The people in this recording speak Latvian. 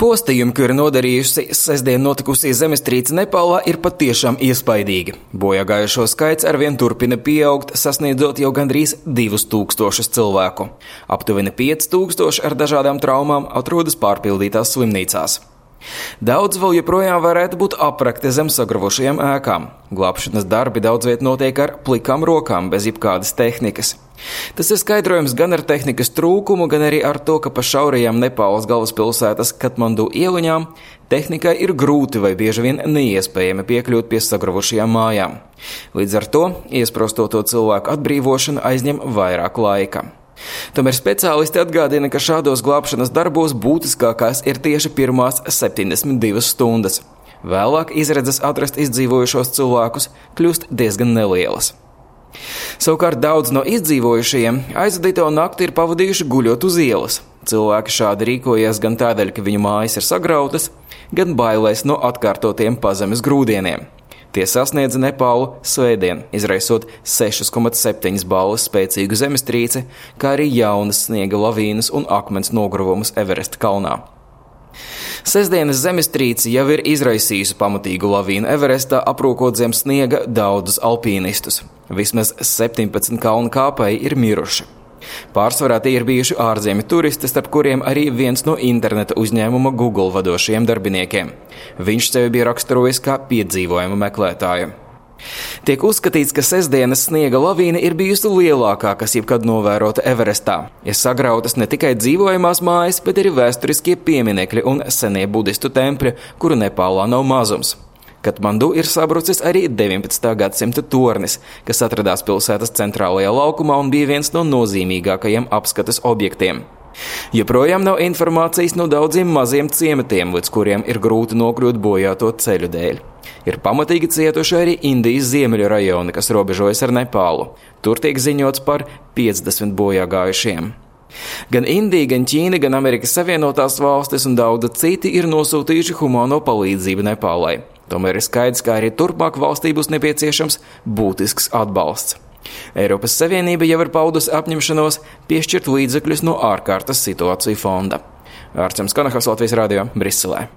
Postījumi, kuri nodarījusi sestdien notikusī zemestrīce Nepālā, ir patiešām iespaidīgi. Bojā gājušo skaits arvien turpina pieaugt, sasniedzot jau gandrīz 2000 cilvēku. Aptuveni 5000 ar dažādām traumām atrodas pārpildītās slimnīcās. Daudz vēl joprojām varētu būt aprakti zem sagravušajām ēkām. Glābšanas darbi daudz viet notiek ar plikām rokām, bez jebkādas tehnikas. Tas ir skaidrojams gan ar tehnikas trūkumu, gan arī ar to, ka pa šaurajām Nepāles galvaspilsētas Katmandu ieliņām tehnikai ir grūti vai bieži vien neiespējami piekļūt pie sagravušajām mājām. Līdz ar to iesprostoto cilvēku atbrīvošana aizņem vairāk laika. Tomēr speciālisti atgādina, ka šādos glābšanas darbos būtiskākās ir tieši pirmās 72 stundas. Vēlāk izredzes atrast izdzīvojušos cilvēkus kļūst diezgan nelielas. Savukārt daudz no izdzīvojušajiem aizvadīto nakti ir pavadījuši guļot uz ielas. Cilvēki šādi rīkojas gan tādēļ, ka viņu mājas ir sagrautas, gan bailēs no atkārtotiem pazemes grūdieniem. Tie sasniedza Nepālu svētdien, izraisot 6,7 balvas spēcīgu zemestrīci, kā arī jaunas sniega lavīnas un akmens nogruvumus Everesta kalnā. Sestdienas zemestrīce jau ir izraisījusi pamatīgu lavīnu Everestā, aprūkot zem sniega daudzus alpīnistus. Vismaz 17 kalnu kāpēji ir miruši. Pārsvarā tie ir bijuši ārzemju turisti, starp kuriem arī viens no interneta uzņēmuma Google vadošajiem darbiniekiem. Viņš sevi bija raksturojis kā piedzīvojumu meklētāju. Tiek uzskatīts, ka sestdienas sniega lavīna ir bijusi lielākā, kas jebkad novērota Everestā. Ir sagrautas ne tikai dzīvojamās mājas, bet arī vēsturiskie pieminekļi un senie budistu tempļi, kuru Nepālā nav mazums. Katmandu ir sabrucis arī 19. gadsimta tornis, kas atradās pilsētas centrālajā laukumā un bija viens no nozīmīgākajiem apskates objektiem. Joprojām nav informācijas no daudziem maziem ciematiem, līdz kuriem ir grūti nokļūt bojāto ceļu dēļ. Ir pamatīgi cietuši arī Indijas ziemeļu rajoni, kas robežojas ar Nepālu. Tur tiek ziņots par 50 bojā gājušiem. Gan Indija, gan Ķīna, gan Amerikas Savienotās valstis un daudzi citi ir nosūtījuši humāno palīdzību Nepālai. Tomēr ir skaidrs, ka arī turpmāk valstī būs nepieciešams būtisks atbalsts. Eiropas Savienība jau ir paudusi apņemšanos piešķirt līdzekļus no ārkārtas situāciju fonda. Ārčams Kanahas, Latvijas radio, Briselē.